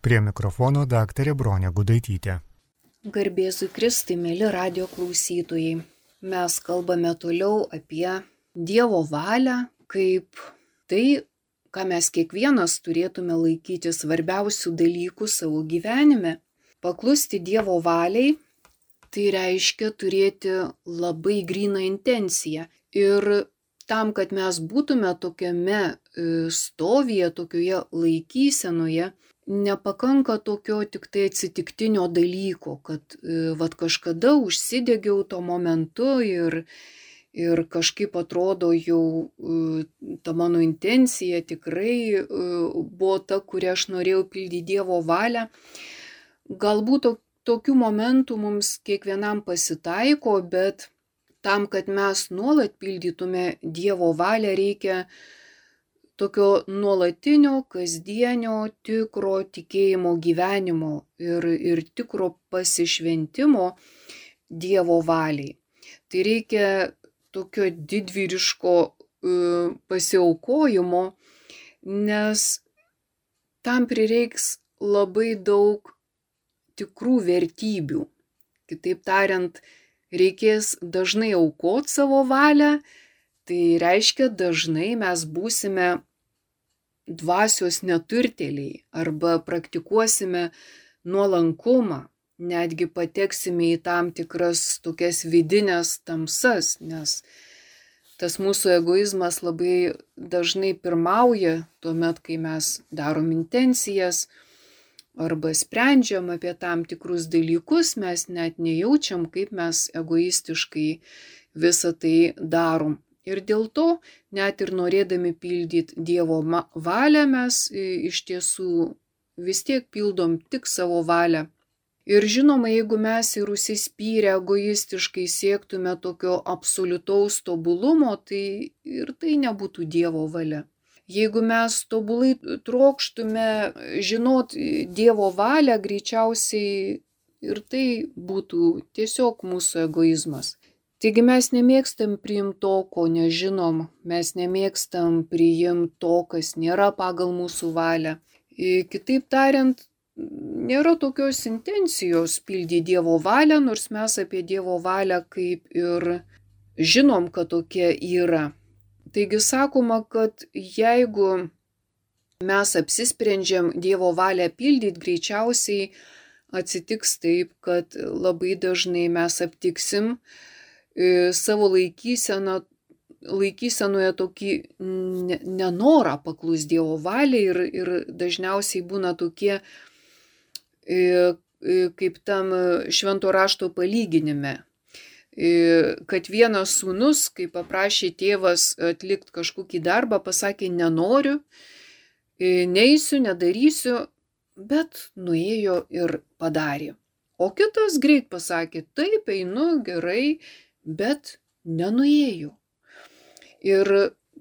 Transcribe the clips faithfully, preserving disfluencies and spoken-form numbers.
Prie mikrofono daktarė Bronė Gudaitytė. Garbėzui Kristui, mėly radio klausytojai. Mes kalbame toliau apie Dievo valią, kaip tai, ką mes kiekvienas turėtume laikyti svarbiausių dalykų savo gyvenime. Paklusti Dievo valiai, tai reiškia turėti labai gryną intenciją. Ir tam, kad mes būtume tokiame stovyje, tokioje laikysenoje, nepakanka tokio tik tai atsitiktinio dalyko, kad vat kažkada užsidegiau tuo momentu ir, ir kažkaip atrodo jau ta mano intencija tikrai buvo ta, kurią aš norėjau pildyti Dievo valią. Galbūt tokių momentų mums kiekvienam pasitaiko, bet tam, kad mes nuolat pildytume Dievo valią, reikia tokio nuolatinio, kasdienio, tikro tikėjimo gyvenimo ir, ir tikro pasišventimo Dievo valiai. Tai reikia tokio didvyriško uh, pasiaukojimo, nes tam prireiks labai daug tikrų vertybių. Kitaip tariant, reikės dažnai aukoti savo valią. Tai reiškia, dažnai mes būsime dvasios neturtėliai arba praktikuosime nuolankumą, netgi pateksime į tam tikras tokias vidinės tamsas, nes tas mūsų egoizmas labai dažnai pirmauja tuomet, kai mes darom intencijas arba sprendžiam apie tam tikrus dalykus, mes net nejaučiam, kaip mes egoistiškai visą tai darom. Ir dėl to, net ir norėdami pildyti Dievo valią, mes iš tiesų vis tiek pildom tik savo valią. Ir žinoma, jeigu mes ir užsispyrę egoistiškai siektume tokio absoliutaus tobulumo, tai ir tai nebūtų Dievo valia. Jeigu mes tobulai trokštume žinot Dievo valią, greičiausiai ir tai būtų tiesiog mūsų egoizmas. Taigi mes nemėgstam priimti to, ko nežinom, mes nemėgstam priimti to, kas nėra pagal mūsų valią. Kitaip tariant, nėra tokios intencijos pildyti Dievo valią, nors mes apie Dievo valią kaip ir žinom, kad tokia yra. Taigi sakoma, kad jeigu mes apsisprendžiam Dievo valią pildyti, greičiausiai atsitiks taip, kad labai dažnai mes aptiksim savo laikyseną, laikysenoje tokį nenorą paklus Dievo valiai ir, ir dažniausiai būna tokie, kaip tam švento rašto palyginime, kad vienas sūnus, kai paprašė tėvas atlikti kažkokį darbą, pasakė nenoriu, neisiu, nedarysiu, bet nuėjo ir padarė. O kitas greit pasakė, taip, einu, gerai, bet nenuėjo. Ir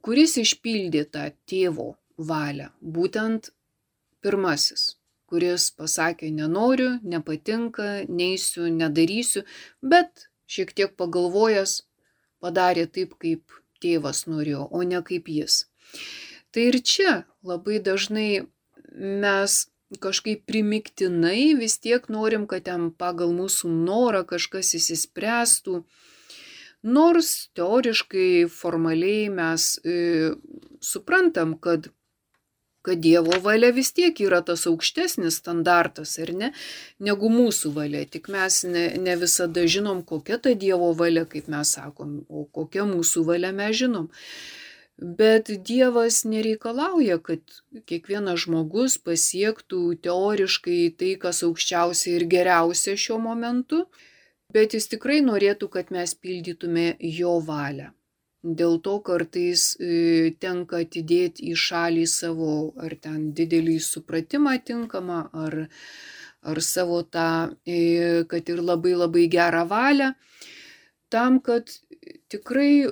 kuris išpildė tą tėvo valią? Būtent pirmasis, kuris pasakė nenoriu, nepatinka, neisiu, nedarysiu, bet šiek tiek pagalvojęs padarė taip, kaip tėvas norėjo, o ne kaip jis. Tai ir čia labai dažnai mes kažkaip primiktinai vis tiek norim, kad ten pagal mūsų norą kažkas įsispręstų. Nors teoriškai, formaliai mes e, suprantam, kad, kad Dievo valia vis tiek yra tas aukštesnis standartas, ar ne, negu mūsų valia. Tik mes ne, ne visada žinom, kokia ta Dievo valia, kaip mes sakom, o kokia mūsų valia mes žinom. Bet Dievas nereikalauja, kad kiekvienas žmogus pasiektų teoriškai tai, kas aukščiausia ir geriausia šiuo momentu. Bet jis tikrai norėtų, kad mes pildytume jo valią. Dėl to kartais e, tenka atidėti į šalį savo ar ten didelį supratimą tinkamą, ar, ar savo tą, e, kad ir labai labai gerą valią, tam, kad tikrai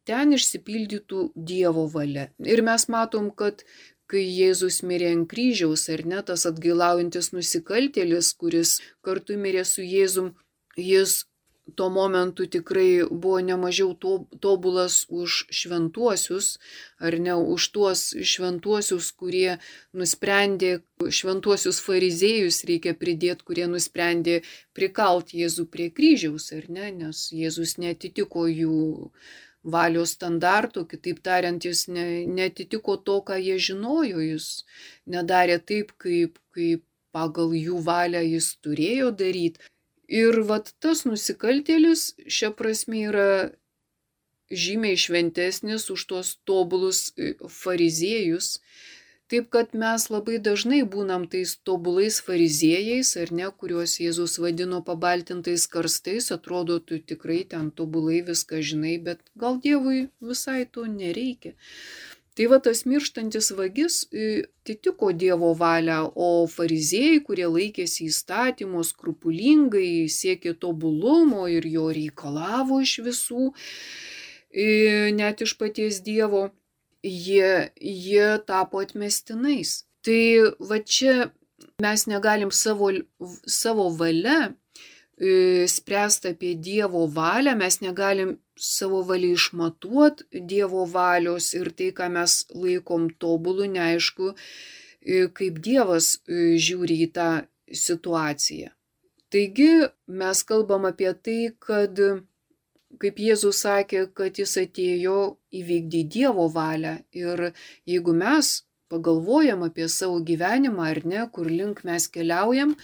ten išsipildytų Dievo valia. Ir mes matom, kad kai Jėzus mirė ant kryžiaus, ar ne, tas atgailaujantis nusikaltėlis, kuris kartu mirė su Jėzum, jis tuo momentu tikrai buvo nemažiau tobulas už šventuosius, ar ne už tuos šventuosius, kurie nusprendė, šventuosius fariziejus reikia pridėti, kurie nusprendė prikalti Jėzų prie kryžiaus, ar ne, nes Jėzus netitiko jų valios standartų, kitaip tariant, jis ne, netitiko to, ką jie žinojo, jis nedarė taip, kaip, kaip pagal jų valią jis turėjo daryti. Ir vat tas nusikaltėlis šia prasme yra žymiai šventesnis už tuos tobulus fariziejus. Taip kad mes labai dažnai būnam tais tobulais fariziejais, ar ne, kuriuos Jėzus vadino pabaltintais karstais, atrodo, tu tikrai ten tobulai viską žinai, bet gal Dievui visai to nereikia. Tai va tas mirštantis vagis atitiko Dievo valią, o fariziejai, kurie laikėsi įstatymo skrupulingai, siekė tobulumo ir jo reikalavo iš visų, net iš paties Dievo, jie, jie tapo atmestinais. Tai va čia mes negalim savo, savo valia spręsti apie Dievo valią, mes negalim savo valią išmatuoti Dievo valios ir tai, ką mes laikom tobulu, neaišku, kaip Dievas žiūri į tą situaciją. Taigi mes kalbam apie tai, kad, kaip Jėzus sakė, kad jis atėjo įvykdyti Dievo valią. Ir jeigu mes pagalvojam apie savo gyvenimą ar ne, kur link mes keliaujam,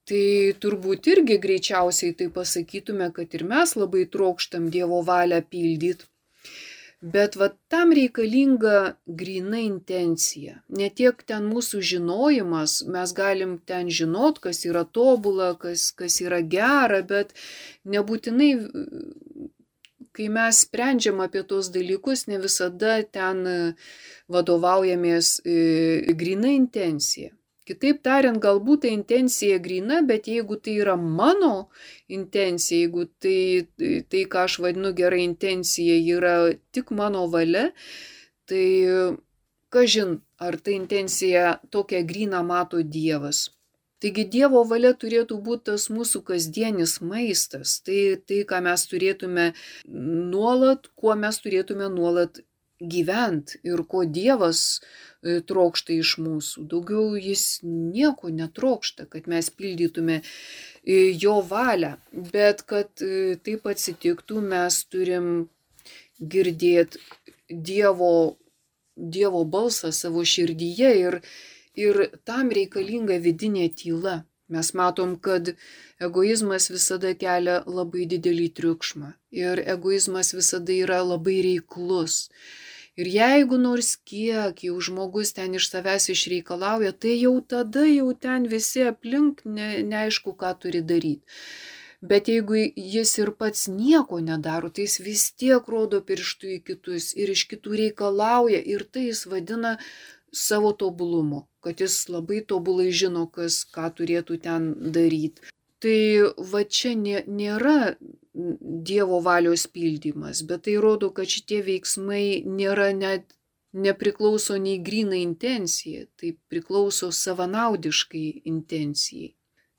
tai turbūt irgi greičiausiai tai pasakytume, kad ir mes labai trokštam Dievo valią pildyti. Bet va tam reikalinga gryna intencija. Ne tiek ten mūsų žinojimas, mes galim ten žinot, kas yra tobula, kas, kas yra gera, bet nebūtinai, kai mes sprendžiam apie tos dalykus, ne visada ten vadovaujamės gryna intencija. Kitaip tariant, galbūt ta intencija gryna, bet jeigu tai yra mano intencija, jeigu tai, tai ką aš vadinu gera intencija, yra tik mano valia, tai kažin, ar ta intencija tokia gryna mato Dievas. Taigi Dievo valia turėtų būti tas mūsų kasdienis maistas, tai, tai ką mes turėtume nuolat, kuo mes turėtume nuolat gyventi ir ko Dievas trokšta iš mūsų. Daugiau jis nieko netrokšta, kad mes pildytume jo valią, bet kad taip atsitiktų, mes turim girdėti Dievo, Dievo balsą savo širdyje ir, ir tam reikalinga vidinė tyla. Mes matom, kad egoizmas visada kelia labai didelį triukšmą ir egoizmas visada yra labai reiklus. Ir jeigu nors kiek jau žmogus ten iš savęs išreikalauja, tai jau tada jau ten visi aplink ne, neaišku, ką turi daryti. Bet jeigu jis ir pats nieko nedaro, tai jis vis tiek rodo pirštų į kitus ir iš kitų reikalauja ir tai jis vadina savo tobulumu, kad jis labai tobulai žino, kas ką turėtų ten daryti. Tai va čia nėra Dievo valios pildymas, bet tai rodo, kad šitie veiksmai nėra net nepriklauso nei grynai intencijai, tai priklauso savanaudiškai intencijai.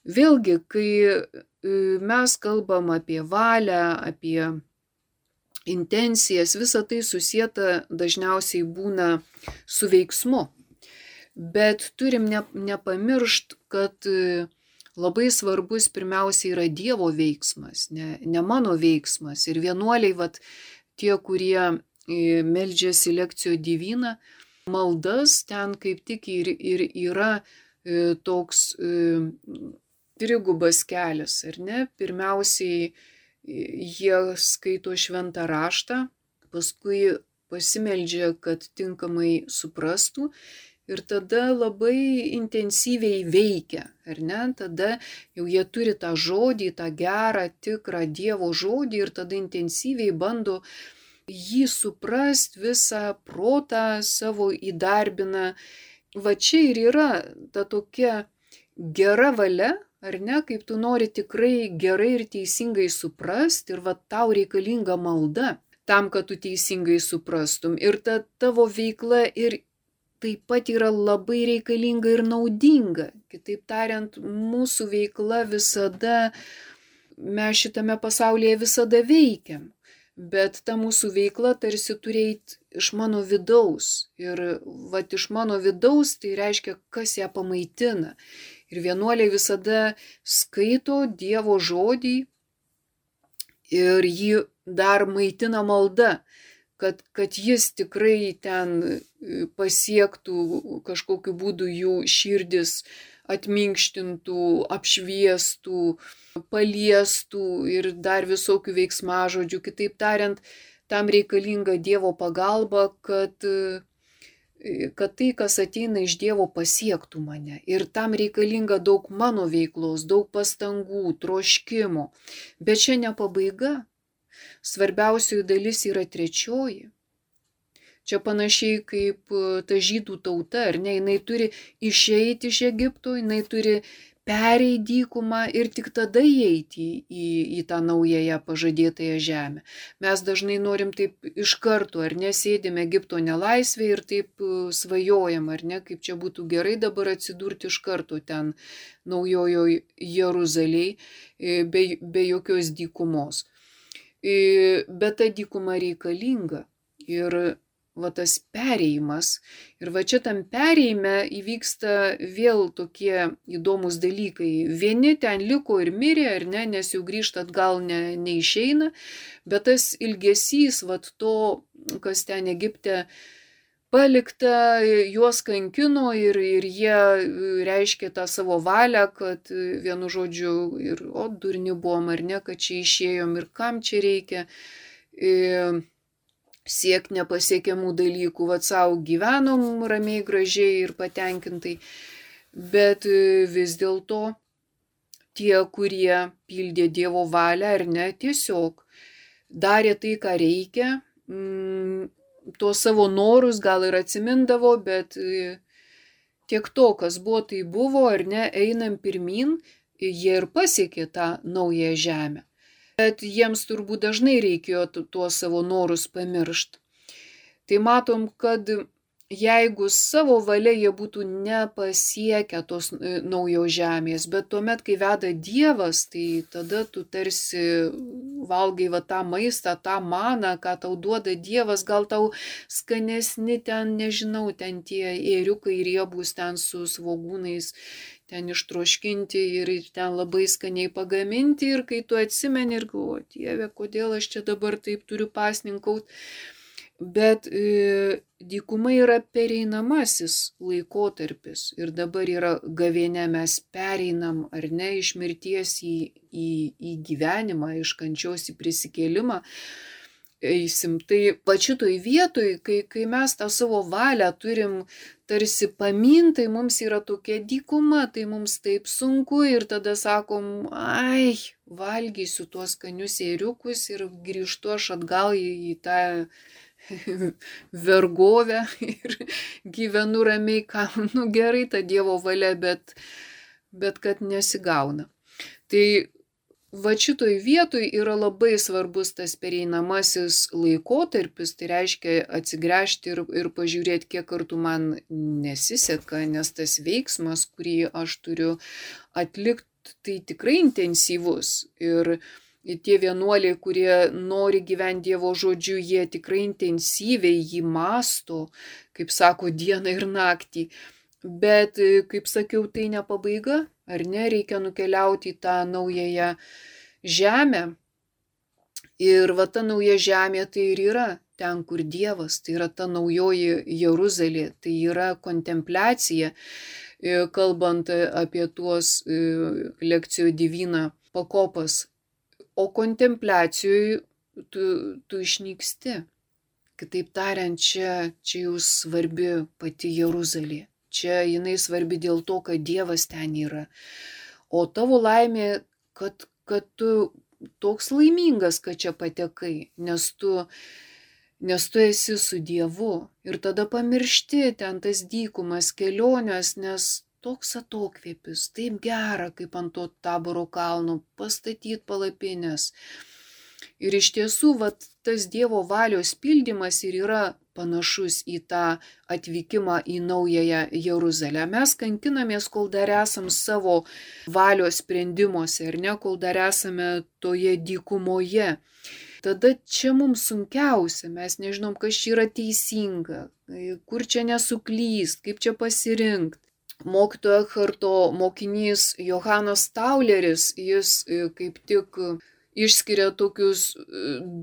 Vėlgi, kai mes kalbam apie valią, apie intencijas, visa tai susieta dažniausiai būna su veiksmu. Bet turim ne, nepamiršt, kad labai svarbus pirmiausia yra Dievo veiksmas, ne, ne mano veiksmas. Ir vienuoliai, vat, tie, kurie meldžiasi lekcijo diviną, maldas ten kaip tik ir, ir yra toks trigubas kelias, ar ne? Pirmiausiai jie skaito šventą raštą, paskui pasimeldžia, kad tinkamai suprastų. Ir tada labai intensyviai veikia, ar ne? Tada jau jie turi tą žodį, tą gerą, tikrą Dievo žodį ir tada intensyviai bando jį suprast, visą protą savo įdarbina. Va čia ir yra ta tokia gera valia, ar ne? Kaip tu nori tikrai gerai ir teisingai suprast ir va tau reikalinga malda tam, kad tu teisingai suprastum. Ir ta tavo veikla ir taip pat yra labai reikalinga ir naudinga. Kitaip tariant, mūsų veikla visada mes šitame pasaulyje visada veikiam, bet ta mūsų veikla tarsi turi eit iš mano vidaus. Ir vat iš mano vidaus tai reiškia, kas ją pamaitina. Ir vienuoliai visada skaito Dievo žodį ir jį dar maitina malda, kad, kad jis tikrai ten pasiektų kažkokiu būdu jų širdis, atminkštintų, apšviestų, paliestų ir dar visokių veiksmažodžių. Kitaip tariant, tam reikalinga Dievo pagalba, kad, kad tai, kas ateina iš Dievo, pasiektų mane. Ir tam reikalinga daug mano veiklos, daug pastangų, troškimo. Bet čia ne pabaiga. Svarbiausioji dalis yra trečioji. Čia panašiai kaip ta žydų tauta, ar ne, jinai turi išeiti iš Egipto, jinai turi pereiti dykumą ir tik tada įeiti į, į tą naująją pažadėtąją žemę. Mes dažnai norim taip iš karto, ar ne, sėdime Egipto nelaisvėje ir taip svajojam, ar ne, kaip čia būtų gerai dabar atsidurti iš karto ten naujojo Jeruzalėj, be, be jokios dykumos. Bet ta dykuma reikalinga ir va tas perėjimas. Ir va čia tam perėjime įvyksta vėl tokie įdomus dalykai. Vieni ten liko ir mirė, ar ne, nes jau grįžt atgal ne, neišeina, bet tas ilgesys, va to, kas ten Egipte palikta, juos kankino ir, ir jie reiškė tą savo valią, kad vienu žodžiu ir o durni buvom, ar ne, kad čia išėjom ir kam čia reikia. Ir siekti nepasiekiamų dalykų, vat savo gyvenom ramiai, gražiai ir patenkintai, bet vis dėlto tie, kurie pildė Dievo valią ar ne, tiesiog darė tai, ką reikia, tuos savo norus gal ir atsimindavo, bet tiek to, kas buvo, tai buvo, ar ne, einam pirmin, jie ir pasiekė tą naują žemę. Bet jiems turbūt dažnai reikėjo tuos savo norus pamiršti. Tai matom, kad jeigu savo valia jie būtų nepasiekę tos naujos žemės, bet tuomet, kai veda Dievas, tai tada tu tarsi valgai va tą maistą, tą maną, ką tau duoda Dievas, gal tau skanesni ten, nežinau, ten tie ėriukai riebūs ten su svogūnais, ten ištroškinti ir ten labai skaniai pagaminti ir kai tu atsimeni ir galvoji, Dieve, kodėl aš čia dabar taip turiu pasninkauti. Bet e, dykuma yra pereinamasis laikotarpis ir dabar yra gavėnia, mes pereinam ar ne iš mirties į, į, į gyvenimą, iš kančios į prisikėlimą. Eisim. Tai pačitoj vietoj, kai, kai mes tą savo valią turim tarsi pamintai, mums yra tokia dykuma, tai mums taip sunku ir tada sakom, ai, valgysiu tuos skanius ėriukus ir grįžtu aš atgal į, į tą vergovę ir gyvenu ramiai, kam, nu gerai ta Dievo valia, bet, bet kad nesigauna. Tai va šitoj vietoj yra labai svarbus tas pereinamasis laikotarpis, tai reiškia atsigręžti ir, ir pažiūrėti, kiek kartų man nesiseka, nes tas veiksmas, kurį aš turiu atlikti, tai tikrai intensyvus. Ir tie vienuoliai, kurie nori gyventi Dievo žodžiu, jie tikrai intensyviai jį mąsto, kaip sako, dieną ir naktį. Bet, kaip sakiau, tai ne pabaiga, ar ne, reikia nukeliauti į tą naująją žemę. Ir va ta nauja žemė tai ir yra ten, kur Dievas, tai yra ta naujoji Jeruzalė, tai yra kontempliacija, kalbant apie tuos lekcijų divina pakopas. O kontempliacijoje tu, tu išnyksti. Kitaip tariant, čia, čia jau svarbi pati Jeruzalė. Čia jinai svarbi dėl to, kad Dievas ten yra. O tavo laimė, kad, kad tu toks laimingas, kad čia patekai, nes tu, nes tu esi su Dievu. Ir tada pamiršti ten tas dykumas, kelionės, nes toks atokvėpis, taip gera, kaip ant to Taboro kalno, pastatyti palapines. Ir iš tiesų, vat, tas Dievo valios pildymas ir yra panašus į tą atvykimą į naująją Jeruzalę. Mes kankinamės, kol dar esam savo valios sprendimuose, ar ne, kol dar esame toje dykumoje. Tada čia mums sunkiausia, mes nežinom, kas čia yra teisinga, kur čia nesuklyst, kaip čia pasirinkti. Mokytojo Ekharto mokinys Johanas Tauleris, jis kaip tik išskiria tokius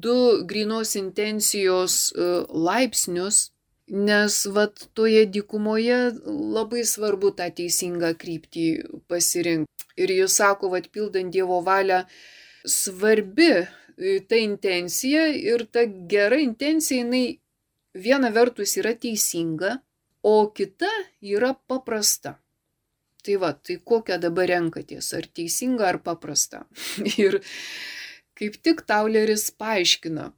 du grynos intencijos laipsnius, nes vat toje dykumoje labai svarbu tą teisingą kryptį pasirinkti. Ir jis sako, vat pildant Dievo valią, svarbi ta intencija ir ta gera intencija, jinai viena vertus yra teisinga, o kita yra paprasta. Tai va, tai kokią dabar renkatės, ar teisinga, ar paprasta. Ir kaip tik Tauleris paaiškina.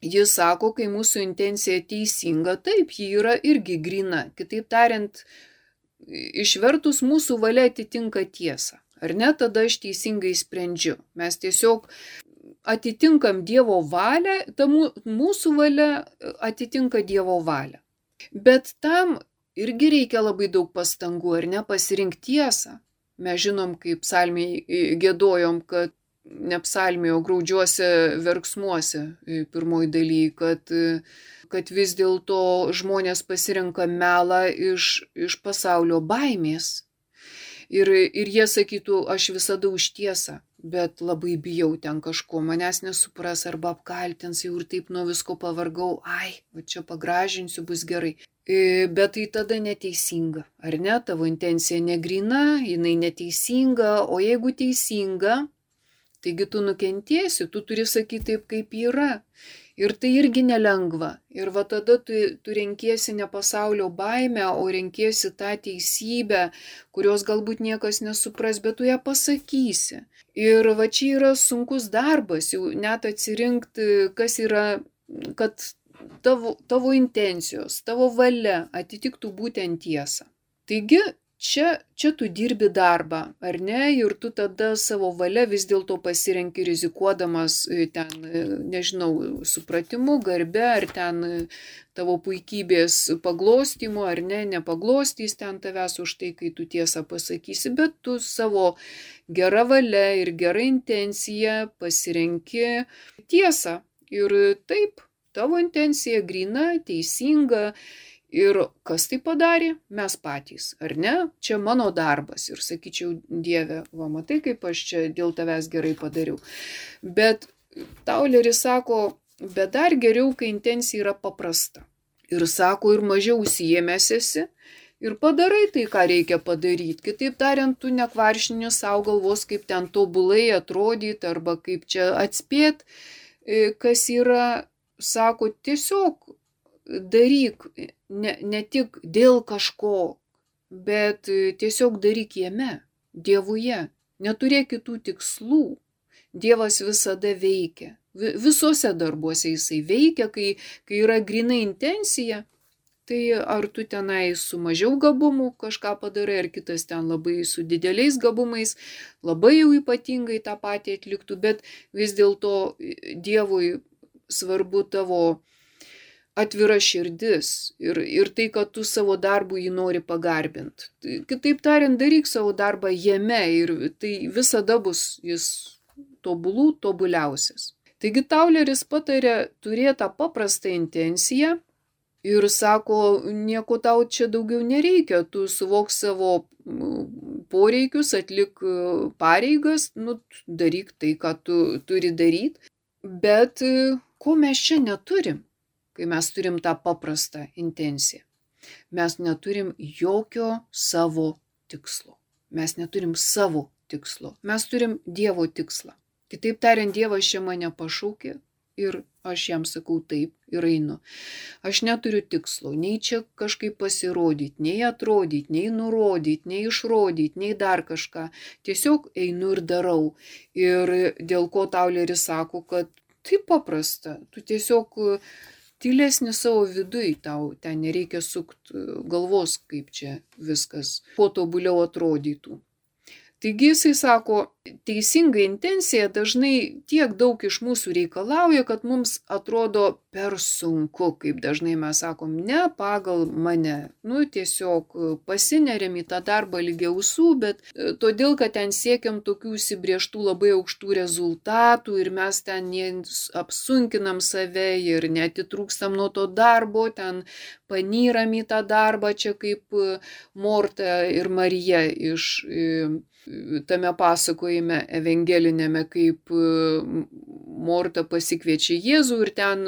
Jis sako, kai mūsų intencija teisinga, taip, ji yra irgi gryna. Kitaip tariant, išvertus mūsų valia atitinka tiesą. Ar ne, tada aš teisingai sprendžiu. Mes tiesiog atitinkam Dievo valią, ta mūsų valia atitinka Dievo valią. Bet tam irgi reikia labai daug pastangų, ar ne, pasirinkti tiesą. Mes žinom, kaip psalmiai giedojom, kad ne psalmiai, o graudžiuose verksmuose pirmoji daly, kad, kad vis dėlto žmonės pasirenka melą iš, iš pasaulio baimės. Ir, ir jie sakytų, aš visada už tiesą, bet labai bijau ten kažko, manęs nesupras arba apkaltins, jau ir taip nuo visko pavargau, ai, va čia pagražinsiu, bus gerai. Bet tai tada neteisinga, ar ne? Tavo intencija negryna, jinai neteisinga, o jeigu teisinga, taigi tu nukentėsi, tu turi sakyti taip, kaip yra. Ir tai irgi nelengva. Ir va tada tu, tu renkiesi ne pasaulio baimę, o renkiesi tą teisybę, kurios galbūt niekas nesupras, bet tu ją pasakysi. Ir va čia yra sunkus darbas, jau net atsirinkti, kas yra, kad tavo, tavo intencijos, tavo valia atitiktų būtent tiesą. Taigi, Čia, čia tu dirbi darbą, ar ne, ir tu tada savo valia vis dėlto pasirenki rizikuodamas ten, nežinau, supratimu, garbe, ar ten tavo puikybės paglostymu, ar ne, nepaglostys ten tavęs už tai, kai tu tiesą pasakysi, bet tu savo gera valia ir gera intencija pasirenki tiesą. Ir taip, tavo intencija gryna, teisinga. Ir kas tai padarė? Mes patys, ar ne? Čia mano darbas. Ir sakyčiau, Dieve, va, matai, kaip aš čia dėl tavęs gerai padariau. Bet Tauleris sako, bet dar geriau, kai intencija yra paprasta. Ir sako, ir mažiau užsiėmęs esi, ir padarai tai, ką reikia padaryti. Kitaip tariant, tu nekvaršini savo galvos, kaip ten tobulai atrodyti, arba kaip čia atspėt, kas yra, sako, tiesiog daryk ne, ne tik dėl kažko, bet tiesiog daryk jame, Dievuje. Neturėk kitų tikslų. Dievas visada veikia. Visuose darbuose jisai veikia, kai, kai yra gryna intencija. Tai ar tu tenai su mažiau gabumų kažką padarai, ar kitas ten labai su dideliais gabumais, labai jau ypatingai tą patį atliktų, bet vis dėlto Dievui svarbu tavo atvira širdis ir, ir tai, kad tu savo darbu jį nori pagarbinti. Kitaip tariant, daryk savo darbą jame ir tai visada bus jis tobulų tobuliausias. Taigi Tauleris patarė turėti tą paprastą intenciją ir sako, nieko tau čia daugiau nereikia, tu suvok savo poreikius, atlik pareigas, nu, daryk tai, ką tu turi daryti, bet ko mes čia neturim? Kai mes turim tą paprastą intenciją. Mes neturim jokio savo tikslo. Mes neturim savo tikslo. Mes turim Dievo tikslą. Kitaip tariant, Dievas čia mane pašaukė ir aš jam sakau taip ir einu. Aš neturiu tikslo, nei čia kažkaip pasirodyti, nei atrodyti, nei nurodyti, nei išrodyti, nei dar kažką. Tiesiog einu ir darau. Ir dėl ko Tauleris sako, kad tai paprasta. Tu tiesiog tylesni savo viduj, tau ten nereikia sukti galvos, kaip čia viskas kuo tobuliau atrodytų. Taigi jisai sako, teisinga intencija dažnai tiek daug iš mūsų reikalauja, kad mums atrodo per sunku, kaip dažnai mes sakom, ne pagal mane. Nu, tiesiog pasineriam į tą darbą lygiai ausų, bet todėl, kad ten siekiam tokių įsibrėžtų labai aukštų rezultatų ir mes ten apsunkinam save ir netitrūkstam nuo to darbo, ten panyram į tą darbą, čia kaip Morta ir Marija iš tame pasakojime evangelinėme, kaip Morta pasikviečia Jėzų ir ten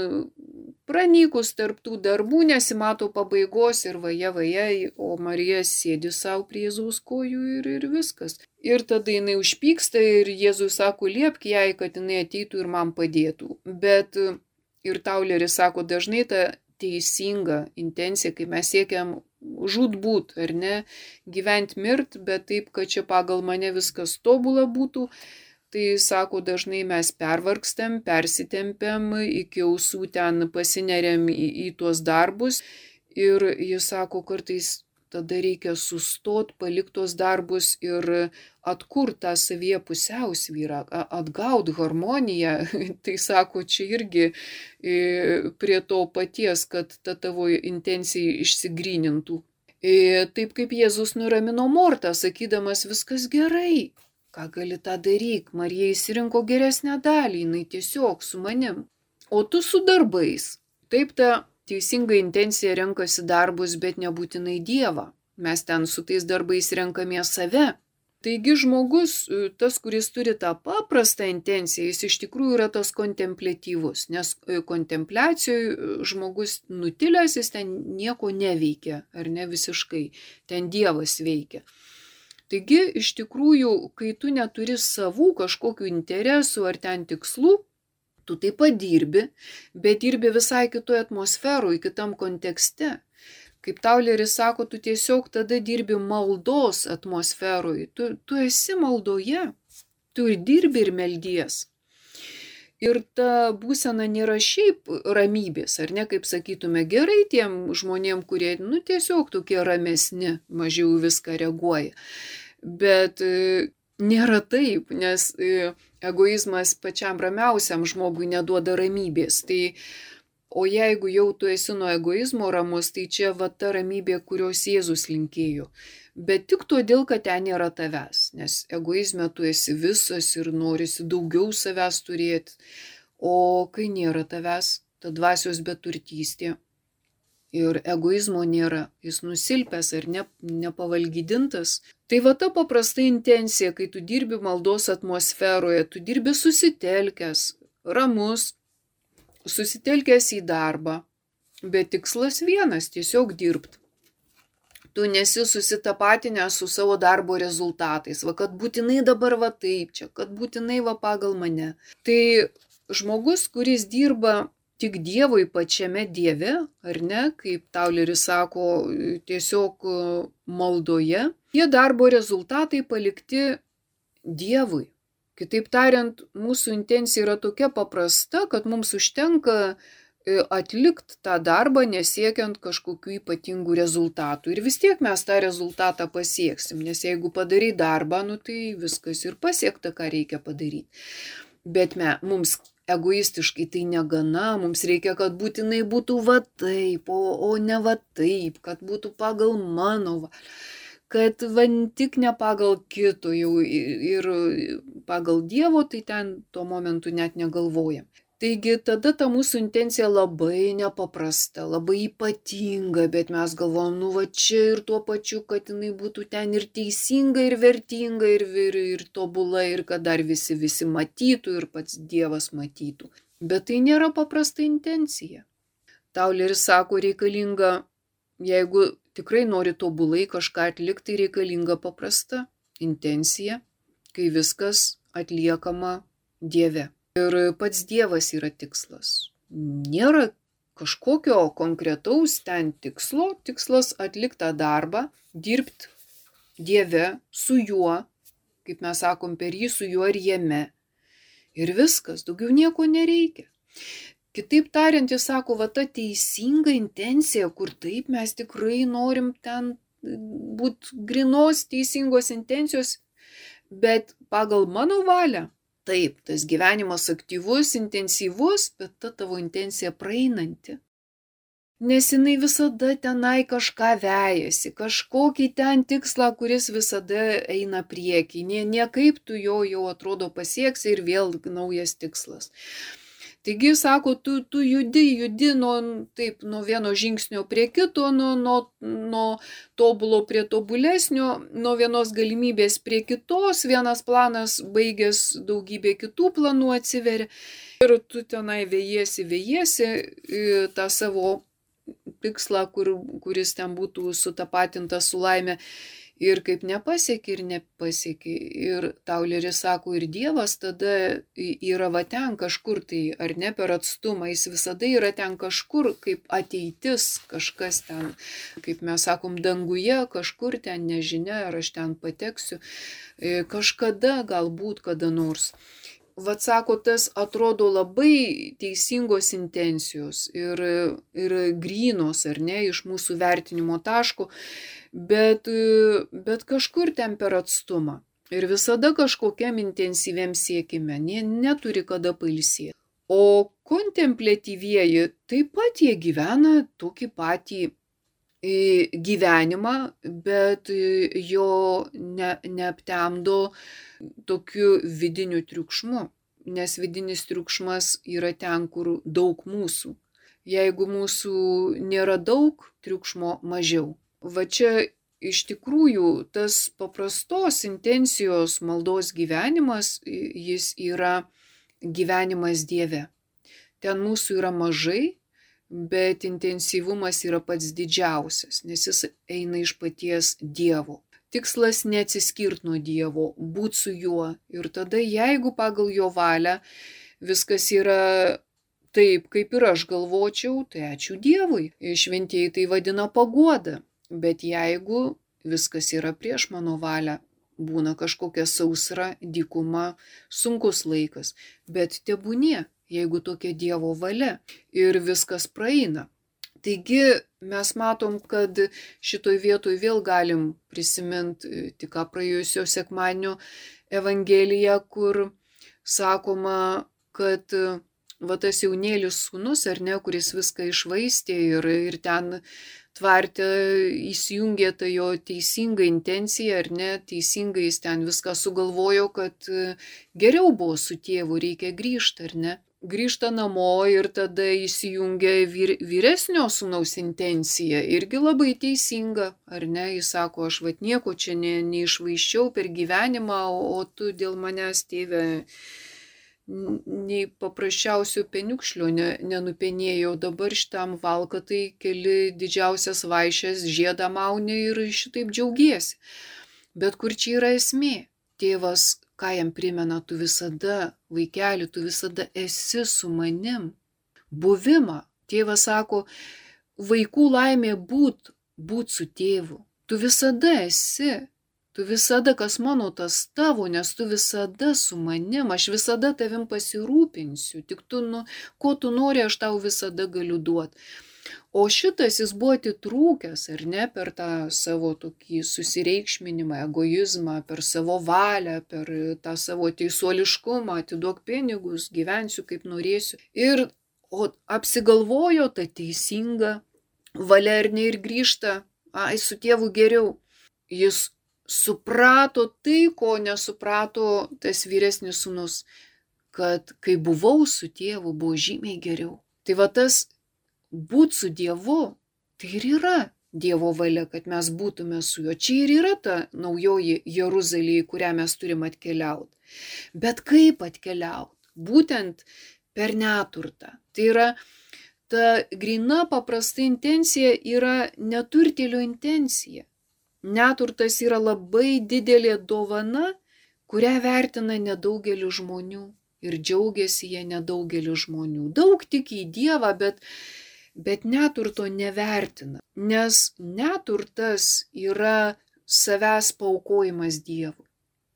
pranykus tarp tų darbų nesimato pabaigos ir vaja vaja, o Marija sėdi savo prie Jėzaus kojų ir, ir viskas. Ir tada jinai užpyksta ir Jėzus sako, liepk jai, kad jinai ateitų ir man padėtų. Bet ir Tauleris sako, dažnai ta teisinga intencija, kai mes siekiam žūtbūt, ar ne, gyvent mirt, bet taip, kad čia pagal mane viskas tobula būtų, tai sako, dažnai mes pervargstam, persitempiam, iki ausų ten pasineriam į, į tuos darbus ir jis sako, kartais tada reikia sustot, palikti tuos darbus ir atkurt tą savyje pusiausvyrą, atgaut harmoniją. Tai sako, čia irgi prie to paties, kad ta tavo intencija išsigrynintų. Taip kaip Jėzus nuramino Mortą, sakydamas, viskas gerai, ką gali tą daryk, Marija išsirinko geresnę dalį, jinai tiesiog su manim, o tu su darbais. Taip ta teisinga intencija renkasi darbus, bet nebūtinai Dievą. Mes ten su tais darbais renkamės save. Taigi žmogus, tas, kuris turi tą paprastą intenciją, jis iš tikrųjų yra tas kontempliatyvus, nes kontempliacijoje žmogus nutilęs, jis ten nieko neveikia, ar ne visiškai, ten Dievas veikia. Taigi iš tikrųjų, kai tu neturi savų kažkokių interesų ar ten tikslų, tu taip pat dirbi, bet dirbi visai kitoje atmosferoje, kitam kontekste. Kaip Tauleris sako, tu tiesiog tada dirbi maldos atmosferoje. Tu, tu esi maldoje, tu ir dirbi ir meldies. Ir ta būsena nėra šiaip ramybės, ar ne, kaip sakytume, gerai tiem žmonėm, kurie, nu, tiesiog tokie ramesni, mažiau viską reaguoja. Bet nėra taip, nes egoizmas pačiam ramiausiam žmogui neduoda ramybės. Tai, o jeigu jau tu esi nuo egoizmo ramus, tai čia va ta ramybė, kurios Jėzus linkėjo. Bet tik todėl, kad ten nėra tavęs, nes egoizme tu esi visas ir norisi daugiau savęs turėti. O kai nėra tavęs, ta dvasios beturtystė ir egoizmo nėra, jis nusilpęs ar ne, nepavalgydintas. Tai va ta paprasta intencija, kai tu dirbi maldos atmosferoje, tu dirbi susitelkęs, ramus, susitelkęs į darbą, bet tikslas vienas, tiesiog dirbt. Tu nesi susitapatinęs su savo darbo rezultatais, va kad būtinai dabar va taip čia, kad būtinai va pagal mane. Tai žmogus, kuris dirba tik Dievui pačiame Dieve, ar ne, kaip Tauleris sako, tiesiog maldoje, tie darbo rezultatai palikti Dievui. Kitaip tariant, mūsų intencija yra tokia paprasta, kad mums užtenka atlikti tą darbą nesiekiant kažkokių ypatingų rezultatų. Ir vis tiek mes tą rezultatą pasieksim, nes jeigu padarai darbą, nu tai viskas ir pasiekta, ką reikia padaryti. Bet me, mums egoistiškai tai negana, mums reikia, kad būtinai būtų va taip, o, o ne va taip, kad būtų pagal mano va. Kad va tik ne pagal kito jau ir pagal Dievo, tai ten tuo momentu net negalvojam. Taigi tada ta mūsų intencija labai nepaprasta, labai ypatinga, bet mes galvojam, nu va čia ir tuo pačiu, kad jinai būtų ten ir teisinga, ir vertinga, ir, ir, ir tobula, ir kad dar visi visi matytų, ir pats Dievas matytų. Bet tai nėra paprasta intencija. Tauleris sako, reikalinga, jeigu tikrai nori tobulai kažką atlikti, reikalinga paprasta intencija, kai viskas atliekama Dieve. Ir pats Dievas yra tikslas. Nėra kažkokio konkretaus ten tikslo, tikslas atlikti tą darbą, dirbti Dieve, su juo, kaip mes sakom, per jį, su juo ir jame. Ir viskas, daugiau nieko nereikia. Kitaip tariant, jis sako, va ta teisinga intencija, kur taip mes tikrai norim ten būti grinos teisingos intencijos, bet pagal mano valią. Taip, tas gyvenimas aktyvus, intensyvus, bet ta tavo intencija praeinanti. Nes jinai visada tenai kažką vejasi, kažkokį ten tikslą, kuris visada eina priekį. Nie, niekaip tu jo jau atrodo pasieksi ir vėl naujas tikslas. Taigi, sako, tu, tu judi, judi nuo, taip, nuo vieno žingsnio prie kito, nuo, nuo, nuo tobulo prie tobulesnio, nuo vienos galimybės prie kitos, vienas planas baigęs daugybė kitų planų atsiveria. Ir tu tenai vėjiesi, vėjiesi tą savo tikslą, kur, kuris ten būtų sutapatintas su laime. Ir kaip nepasieki ir nepasieki. Ir Tauleris sako, ir Dievas tada yra va ten kažkur, tai ar ne per atstumą, jis visada yra ten kažkur, kaip ateitis, kažkas ten, kaip mes sakom, danguje, kažkur ten nežinia, ar aš ten pateksiu, kažkada, galbūt kada nors. Vat sako, tas atrodo labai teisingos intencijos ir, ir grynos, ar ne, iš mūsų vertinimo taško, bet, bet kažkur ten per atstumą. Ir visada kažkokiam intensyviam siekime, ne, neturi kada pailsėti. O kontempliatyvieji taip pat jie gyvena tokį patį gyvenimą, bet jo ne, neaptemdo tokiu vidiniu triukšmu, nes vidinis triukšmas yra ten, kur daug mūsų. Jeigu mūsų nėra daug, triukšmo mažiau. Va čia iš tikrųjų tas paprastos intencijos maldos gyvenimas, jis yra gyvenimas Dieve. Ten mūsų yra mažai, bet intensyvumas yra pats didžiausias, nes jis eina iš paties Dievo. Tikslas neatsiskirt nuo Dievo, būt su juo. Ir tada, jeigu pagal jo valią viskas yra taip, kaip ir aš galvočiau, tai ačiū Dievui. Šventieji tai vadina paguoda. Bet jeigu viskas yra prieš mano valią, būna kažkokia sausra, dykuma, sunkus laikas, bet tebūnie, jeigu tokia Dievo valia ir viskas praeina. Taigi mes matom, kad šitoj vietoj vėl galim prisiminti tik ką praėjusio sekmadienio Evangeliją, kur sakoma, kad va tas jaunėlis sūnus, ar ne, kuris viską išvaistė ir, ir ten tvarte įsijungė tą jo teisingą intenciją, ar ne, teisingai jis ten viską sugalvojo, kad geriau buvo su tėvu, reikia grįžti, ar ne. Grįžta namo ir tada įsijungia vyr, vyresnio sūnaus intencija, irgi labai teisinga, ar ne, jis sako, aš vat nieko čia ne, neišvaiščiau per gyvenimą, o, o tu dėl manęs, tėve, nei paprasčiausio peniukšlio ne, nenupenėjau, dabar šitam valkatai keli didžiausias vaišės žiedą mauni ir šitaip džiaugiesi. Bet kur čia yra esmė? Tėvas, ką jam primena, tu visada, vaikeli, tu visada esi su manim. Buvimą. Tėvas sako, vaikų laimė būt, būt su tėvu. Tu visada esi. Tu visada, kas mano, tas tavo, nes tu visada su manim, aš visada tavim pasirūpinsiu, tik tu, nu, ko tu nori, aš tau visada galiu duoti. O šitas jis buvo atitrūkęs, ar ne, per tą savo tokį susireikšminimą, egoizmą, per savo valią, per tą savo teisuoliškumą, atiduok pinigus, gyvensiu kaip norėsiu. Ir o, apsigalvojo tą teisingą valią ir ne ir grįžta, ai, su tėvu geriau. Jis suprato tai, ko nesuprato tas vyresnis sūnus, kad kai buvau su tėvu, buvo žymiai geriau. Tai va tas būt su Dievu, tai ir yra Dievo valia, kad mes būtume su juo. Čia ir yra ta naujoji Jeruzalė, į kurią mes turim atkeliauti. Bet kaip atkeliauti? Būtent per neturtą. Tai yra ta grina paprasta intencija yra neturtėlio intencija. Neturtas yra labai didelė dovana, kurią vertina nedaugelis žmonių ir džiaugiasi jie nedaugelis žmonių. Daug tiki į Dievą, bet Bet neturto nevertina, nes neturtas yra savęs paaukojimas Dievui.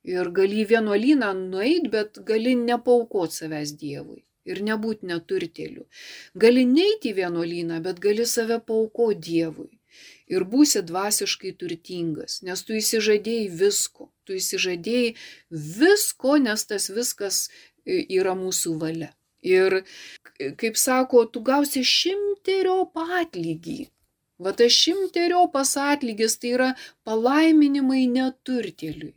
Ir gali į vienuolyną nueiti, bet gali nepaukoti savęs Dievui ir nebūti neturtėliu. Gali neiti į vienuolyną, bet gali save paaukoti Dievui. Ir būsi dvasiškai turtingas, nes tu įsižadėjai visko. tu įsižadėjai visko, nes tas viskas yra mūsų valia. Ir, kaip sako, tu gausi šimteriopą atlygį. Va tas šimteriopas atlygis tai yra palaiminimai neturtėliui.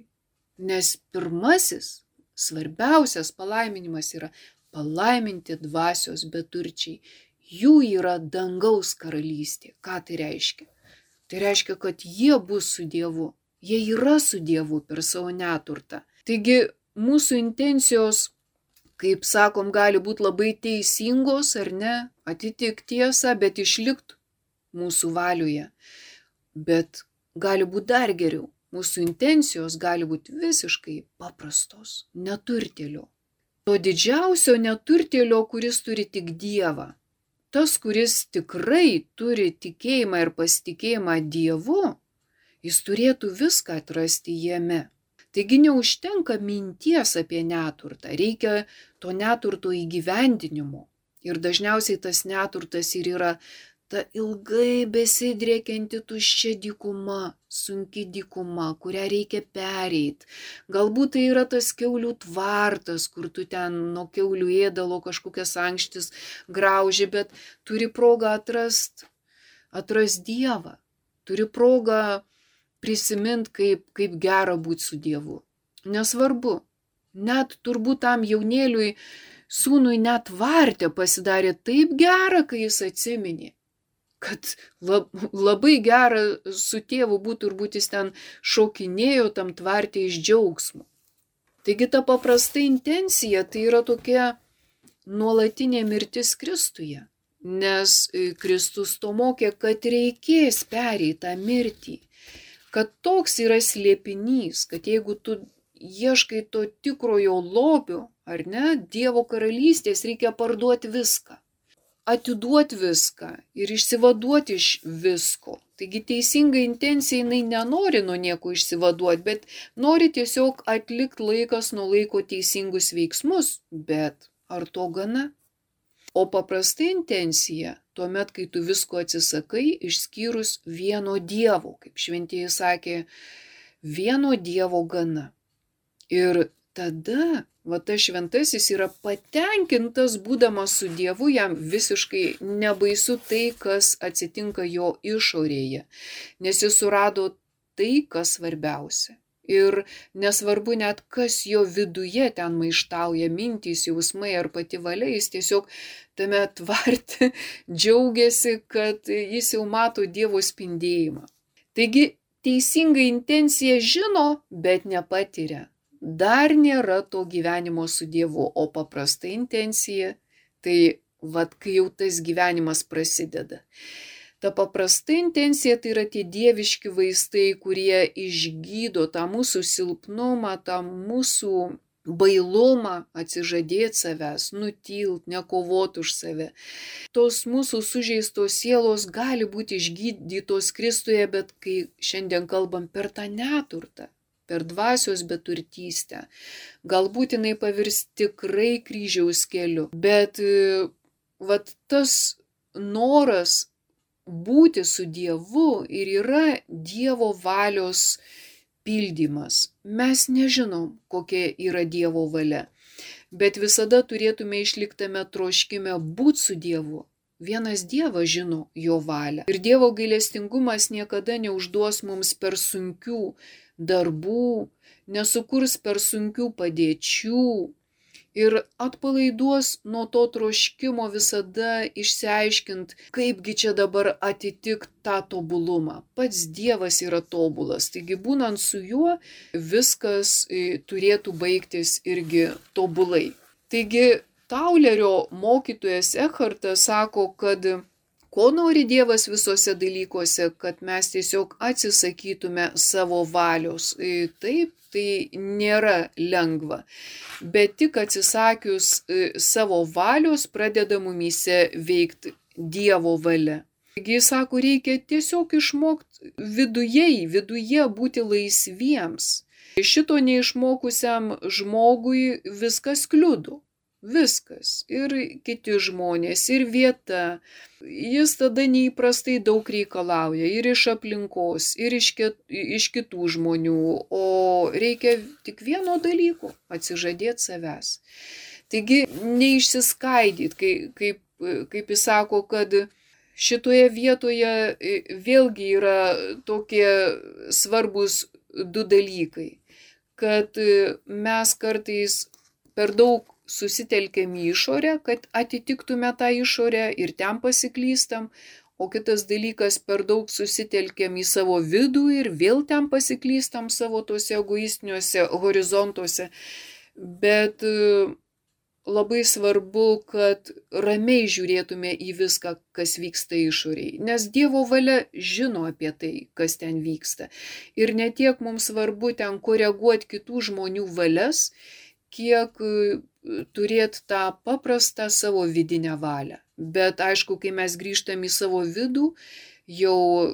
Nes pirmasis, svarbiausias palaiminimas yra palaiminti dvasios beturčiai. Jų yra dangaus karalystė. Ką tai reiškia? Tai reiškia, kad jie bus su Dievu. Jie yra su Dievu per savo neturtą. Taigi mūsų intencijos, kaip sakom, gali būti labai teisingos ar ne, atitik tiesą, bet išlikt mūsų valioje. Bet gali būti dar geriau. Mūsų intencijos gali būti visiškai paprastos, neturtėlio. To didžiausio neturtėlio, kuris turi tik Dievą. Tas, kuris tikrai turi tikėjimą ir pasitikėjimą Dievu, jis turėtų viską atrasti jame. Taigi neužtenka minties apie neturtą, reikia to neturto įgyvendinimo. Ir dažniausiai tas neturtas ir yra ta ilgai besidriekianti tuščia dykuma, sunki dykuma, kurią reikia pereiti. Galbūt tai yra tas kiaulių tvartas, kur tu ten nuo kiaulių ėdalo kažkokias ankštis grauži, bet turi progą atrast, atrast Dievą. Turi progą prisimint, kaip, kaip gera būti su Dievu. Nesvarbu, net turbūt tam jaunėliui, sūnui net tvarte pasidarė taip gera, kai jis atsiminė, kad lab, labai gera su tėvu būtų, turbūt jis ten šokinėjo tam tvarte iš džiaugsmo. Taigi ta paprasta intencija tai yra tokia nuolatinė mirtis Kristuje, nes Kristus to mokė, kad reikės pereiti tą mirtį, kad toks yra slėpinys, kad jeigu tu ieškai to tikrojo lobio, ar ne, Dievo karalystės, reikia parduoti viską. Atiduoti viską ir išsivaduoti iš visko. Taigi teisinga intencija, jinai nenori nuo nieko išsivaduoti, bet nori tiesiog atlikti laikas nuo laiko teisingus veiksmus, bet ar to gana? O paprasta intencija, tuomet, kai tu visko atsisakai, išskyrus vieno Dievo, kaip šventieji sakė, vieno Dievo gana. Ir tada va tas šventasis yra patenkintas būdamas su Dievu, jam visiškai nebaisu tai, kas atsitinka jo išorėje, nes jis surado tai, kas svarbiausia. Ir nesvarbu net, kas jo viduje ten maištauja, mintys, jausmai ar pati valia, jis tiesiog tame tvarte džiaugiasi, kad jis jau mato Dievo spindėjimą. Taigi teisinga intencija žino, bet nepatiria. Dar nėra to gyvenimo su Dievu, o paprasta intencija, tai vat kai jau tas gyvenimas prasideda. Ta paprasta intencija tai yra tie dieviški vaistai, kurie išgydo tą mūsų silpnumą, tą mūsų bailumą atsižadėti savęs, nutilt, nekovoti už save. Tos mūsų sužeistos sielos gali būti išgydytos Kristuje, bet kai šiandien kalbam per tą neturtą, per dvasios beturtystę, galbūt jinai pavirs tikrai kryžiaus keliu, bet vat tas noras būti su Dievu ir yra Dievo valios pildymas. Mes nežinom, kokia yra Dievo valia, bet visada turėtume išliktame troškime būti su Dievu. Vienas Dievas žino jo valią. Ir Dievo gailestingumas niekada neužduos mums per sunkių darbų, nesukurs per sunkių padėčių ir atpalaiduos nuo to troškimo visada išsiaiškint, kaipgi čia dabar atitikti tą tobulumą. Pats Dievas yra tobulas, taigi būnant su juo viskas turėtų baigtis irgi tobulai. Taigi Taulerio mokytojas Ekhartas sako, kad ko nori Dievas visose dalykuose, kad mes tiesiog atsisakytume savo valios. Taip, tai nėra lengva, bet tik atsisakius savo valios pradeda mumyse veikti Dievo valia. Taigi jis sako, reikia tiesiog išmokti viduje, viduje būti laisviems. Šito neišmokusiam žmogui viskas kliudo. Viskas. Ir kiti žmonės, ir vieta. Jis tada neįprastai daug reikalauja ir iš aplinkos, ir iš, ket, iš kitų žmonių. O reikia tik vieno dalyko - atsižadėti savęs. Taigi neišsiskaidyti, kai, kaip, kaip jis sako, kad šitoje vietoje vėlgi yra tokie svarbus du dalykai. Kad mes kartais per daug susitelkiam į išorę, kad atitiktume tą išorę ir ten pasiklystam, o kitas dalykas per daug susitelkiam į savo vidų ir vėl ten pasiklystam savo tose egoistiniuose horizontuose. Bet labai svarbu, kad ramiai žiūrėtume į viską, kas vyksta išoriai, nes Dievo valia žino apie tai, kas ten vyksta. Ir ne tiek mums svarbu ten koreguoti kitų žmonių valias, kiek turėti tą paprastą savo vidinę valią. Bet aišku, kai mes grįžtam į savo vidų, jau,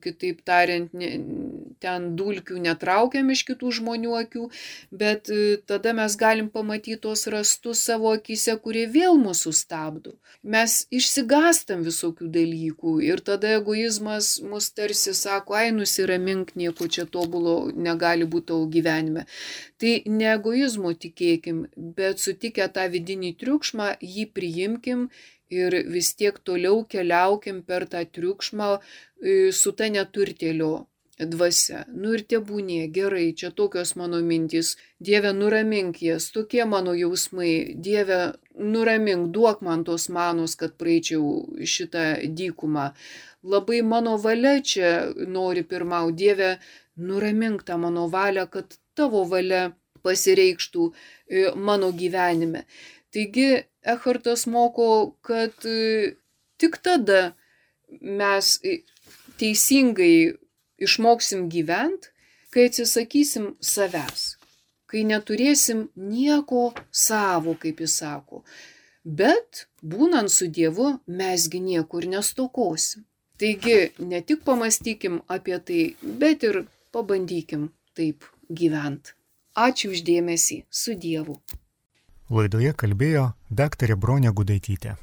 kitaip tariant, ten dulkių netraukiam iš kitų žmonių akių, bet tada mes galim pamatyti tos rastus savo akyse, kurie vėl mūsų stabdo. Mes išsigastam visokių dalykų ir tada egoizmas mus tarsi sako, ai nusiramink, nieko čia tobulo negali būti tavo gyvenime. Tai ne egoizmo tikėkim, bet sutikę tą vidinį triukšmą, jį priimkim ir vis tiek toliau keliaukim per tą triukšmą su ta neturtėlio dvasia. Nu ir tebūnie, gerai, čia tokios mano mintys. Dieve, nuramink jas, tokie mano jausmai. Dieve, nuramink, duok man tos manos, kad praeičiau šitą dykumą. Labai mano valia čia nori pirmau. Dieve, nuramink tą mano valią, kad tavo valia pasireikštų mano gyvenime. Taigi, Ekhartas moko, kad tik tada mes teisingai išmoksim gyventi, kai atsisakysim savęs, kai neturėsim nieko savo, kaip jis sako. Bet būnant su Dievu, mesgi niekur nestokosim. Taigi, ne tik pamastykim apie tai, bet ir pabandykim taip gyventi. Ačiū už dėmesį, su Dievu. Laidoje kalbėjo daktarė Bronė Gudaitytė.